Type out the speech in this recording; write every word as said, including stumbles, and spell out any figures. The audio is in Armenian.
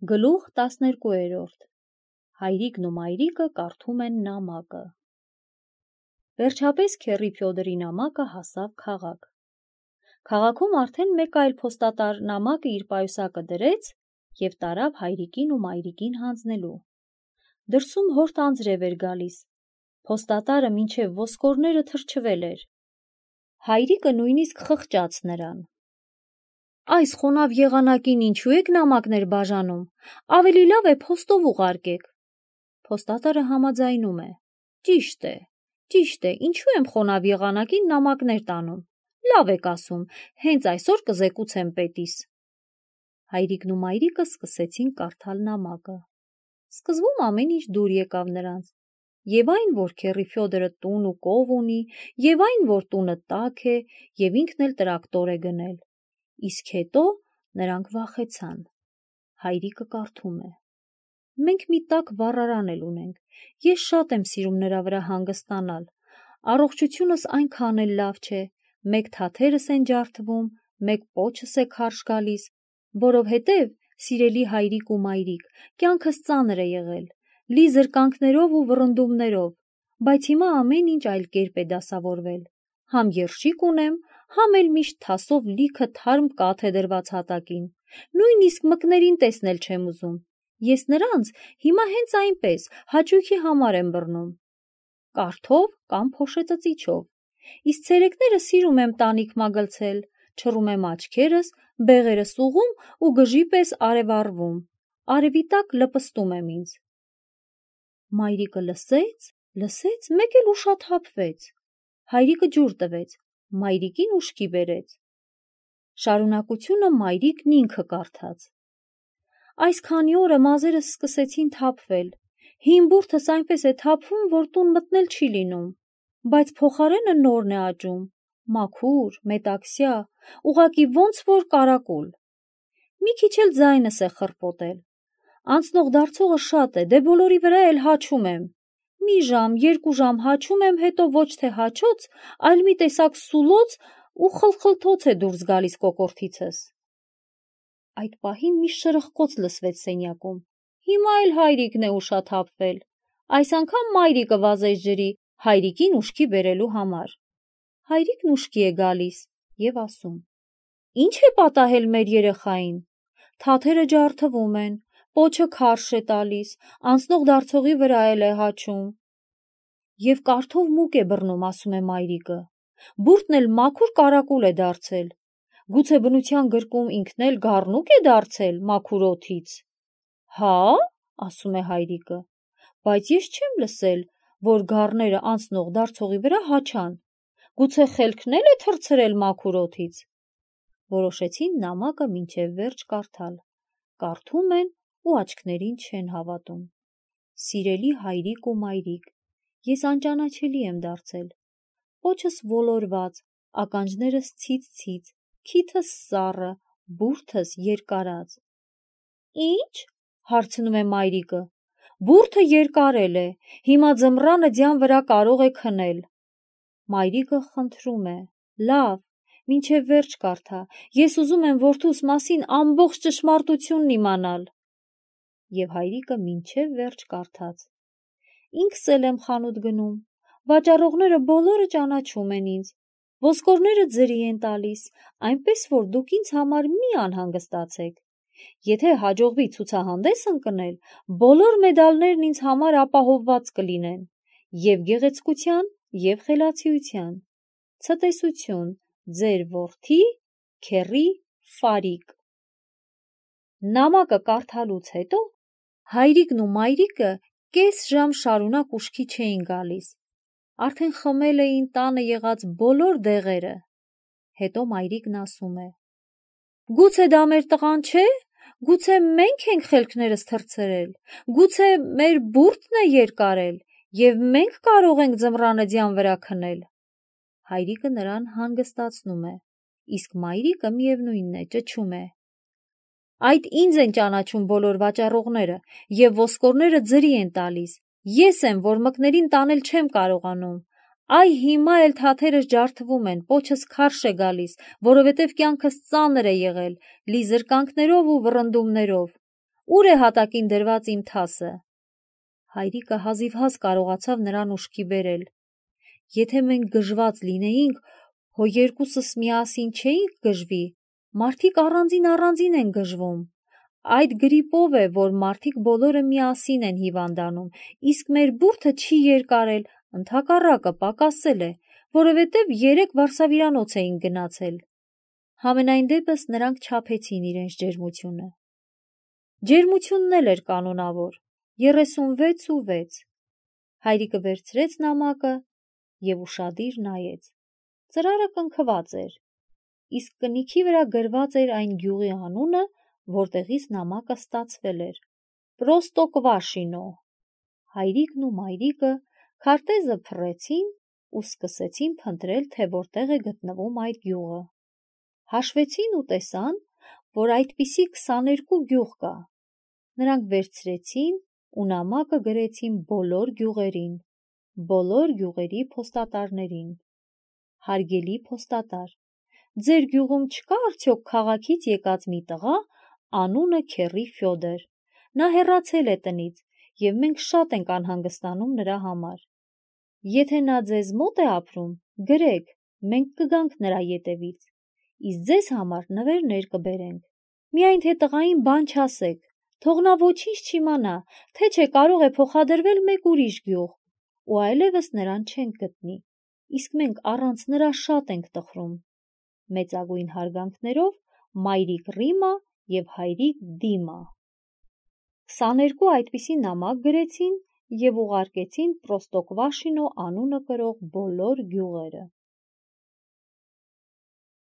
Գլուխ տասներկուերորդ Հայրիկն ու մայրիկը կարդում են նամակը։ Վերջապես քեռի Ֆյոդորի նամակը հասավ քաղաք։ Քաղաքում արդեն մեկ այլ փոստատար նամակը իր պայուսակը դրեց և տարավ հայրիկին ու մայրիկին հանձնելու։ Դրսում հորդ անձրև էր գալիս։ Փոստատարը մինչև ոսկորները թրջվել էր։ Հայրիկը նույնիսկ խղճաց նրան։ Այս խոնավ եղանակին ինչու եք նամակներ բաժանում, ավելի լավ է փոստով ուղարկեք։ Փոստատարը համաձայնում է. Ճիշտ է, ճիշտ է, ինչու եմ խոնավ եղանակին նամակներ տանում, լավ եք ասում, հենց այսօր կզեկուցեմ պետիս։ Հայրիկն ու մայրիկը սկսեցին կարդալ նամակը։ Սկզբում ամեն ինչ դուր եկավ նրանց, և այն, որ քեռի Ֆյոդորը տուն ու կով ունի, և այն, որ տունը տաք է, և ինքն էլ տրակտոր է գնել։ Իսկ հետո նրանք վախեցան։ Հայրիկը կարդում է. Մենք մի տաք վառարան էլ ունենք, ես շատ եմ սիրում նրա վրա հանգստանալ, առողջությունս այնքան էլ լավ չէ, մեկ թաթերս են ջարդվում, մեկ պոչս է քարշ գալիս, որովհետև, սիրելի հայրիկ ու մայրիկ, կյանքս ծանր է եղել, լի զրկանքներով ու վռնդումներով, բայց հիմա ամեն ինչ այլ կերպ է դասավորվել, համ երշիկ ունեմ, համ էլ միշտ թասով լիքը թարմ կաթ է դրված հատակին, նույնիսկ մկներին տեսնել չեմ ուզում, ես նրանց հիմա հենց այնպես, հաճույքի համար եմ բռնում, կարթով կամ փոշեծծիչով, իսկ ցերեկները սիրում եմ տանիք մագլցել, չռում եմ աչքերս, բեղերս ուղղում ու գժի պես արևառվում, արևի տակ լպստում եմ ինձ։ Մայրիկը լսեց, լսեց, մեկ էլ ուշաթափվեց, հայրիկը ջուր տվեց, մայրիկին ուշքի բերեց։ Շարունակությունը մայրիկն ինքը կարդաց։ Այս քանի օրը մազերս սկսեցին թափվել, հին բուրդս այնպես է թափվում, որ տուն մտնել չի լինում, բայց փոխարենը նորն է աճում, մաքուր, մետաքսյա, ուղղակի ոնց որ կարակուլ։ Մի քիչ էլ ձայնս է խռպոտել։ Անցնող դարձողը շատ է, դե բոլորի վրա էլ հաչում եմ։ Մի ժամ, երկու ժամ հաչում եմ, հետո ոչ թե հաչոց, այլ մի տեսակ սուլոց ու խլխլթոց է դուրս գալիս կոկորդիցս։ Այդ պահին մի շրխկոց լսվեց սենյակում։ Հիմա էլ հայրիկն է ուշաթափվել։ Այս անգամ մայրիկը վազեց ջրի, հայրիկին ուշքի բերելու համար։ Հայրիկն ուշքի է գալիս և ասում. Ինչ է պատահել մեր երեխային։ Թաթերը ջարդվում են, պոչը քարշ է տալիս, անցնող դարձողի վրա էլ է հաչում։ Եվ կարթով մուկ է բռնում, ասում է մայրիկը։ Բուրդն էլ մաքուր կարակուլ է դարձել։ Գուցե բնության գրկում ինքն էլ գառնուկ է դարձել մաքուր օդից։ Հա՞, ասում է հայրիկը, բայց ես չեմ լսել, որ գառները անցնող դարձողի վրա հաչան։ Գուցե խելքն էլ է թռցրել մաքուր օդից։ Որոշեցին նամակը մինչև վերջ կարդալ։ Կարդում են ու աչքներին չեն հավատում։ Սիրելի հայրիկ ու մայրիկ, ես անճանաչելի եմ դարձել։ Պոչս ոլորված, ականջներս ցից-ցից, քիթս սառը, բուրդս երկարած։ Ինչ? Հարցնում է մայրիկը։ Բուրդը երկարել է, հիմա ձմռանը ձյան վրա կարող է քնել։ Մայրիկը խնդրում է. Լավ, մինչև վերջ կարդա, ես ուզում եմ որդուս մասին ամբողջ ճշմարտությունն իմանալ։ Եվ հայրիկը մինչև վերջ կարդաց։ Ինքս էլ եմ խանութ գնում, վաճառողները բոլորը ճանաչում են ինձ, ոսկորները ձրի են տալիս, այնպես որ դուք ինձ համար մի անհանգստացեք։ Եթե հաջողվի ցուցահանդես ընկնել, բոլոր մեդալներն ինձ համար ապահովված կլինեն, և գեղեցկության, և խելացիության։ Ցտեսություն, ձեր որդի, քեռի Ֆարիկ։ Նամակը կարդալուց հետո հայրիկն ու մայրիկը կես ժամ շարունակ ուշքի չէին գալիս։ Արդեն խմել էին տանը եղած բոլոր դեղերը։ Հետո մայրիկն ասում է. Գուցե դա մեր տղան չէ, գուցե մենք ենք խելքներս թռցրել, գուցե մեր բուրդն է երկարել, և մենք կարող ենք ձմռանը ձյան վրա քնել։ Հայրիկը նրան հանգստացնում է, իսկ մայրիկը միևնույնն է, ճչում է. Այդ ինձ են ճանաչում բոլոր վաճառողները, և ոսկորները ձրի են տալիս, ես եմ, որ մկներին տանել չեմ կարողանում, այ հիմա էլ թաթերս ջարդվում են, պոչս քարշ է գալիս, որովհետև կյանքս ծանր է եղել, լի զրկանքներով ու վռնդումներով, Ուր է հատակին դրված իմ թասը։ Հայրիկը հազիվհազ կարողացավ նրան ուշքի բերել։ Եթե մենք գժված լինեինք, հո երկուսս միասին չէինք գժվի, մարդիկ առանձին առանձին են գժվում։ Այդ գրիպով է, որ մարդիկ բոլորը միասին են հիվանդանում, իսկ մեր բուրդը չի երկարել, ընդհակառակը պակասել է, որովհետև երեք վարսավիրանոց էին գնացել։ Համենայն դեպս նրանք չափեցին իրենց ջերմությունը։ Ջերմությունն էլ էր կանոնավոր, երեսունվեց ու վեց։ Հայրիկը վերցրեց նամակը և ուշադիր նայեց։ Ծրարը կնքված էր, իսկ կնիքի վրա գրված էր այն գյուղի անունը, որտեղից նամակը ստացվել էր՝ Պրոստոկվաշինո։ Հայրիկն ու մայրիկը քարտեզը փռեցին ու սկսեցին փնտրել, թե որտեղ է գտնվում այդ գյուղը։ Հաշվեցին ու տեսան, որ այդպիսի քսաներկու գյուղ կա։ Նրանք վերցրեցին ու նամակը գրեցին բոլոր գյուղերին, բոլոր գյուղերի փոստատարներին։ Հարգելի փոստատար, ձեր գյուղում չկա արդյոք քաղաքից եկած մի տղա, անունը Քեռի Ֆյոդոր։ Նա հեռացել է տնից, և մենք շատ ենք անհանգստանում նրա համար։ Եթե նա ձեզ մոտ է ապրում, գրեք, մենք կգանք նրա ետևից, իսկ ձեզ համար նվերներ կբերենք։ Միայն թե տղային բան չասեք, թող նա ոչինչ չիմանա, թե չէ կարող է փոխադրվել մեկ ուրիշ գյուղ, ու այլևս նրան չենք գտնի, իսկ մենք առանց նրա շատ ենք տխրում։ Մեծագույն հարգանքներով, մայրիկ Ռիմա և հայրիկ Դիմա։ քսաներկու այդպիսի նամակ գրեցին և ուղարկեցին Պրոստոկվաշինո անունը կրող բոլոր գյուղերը։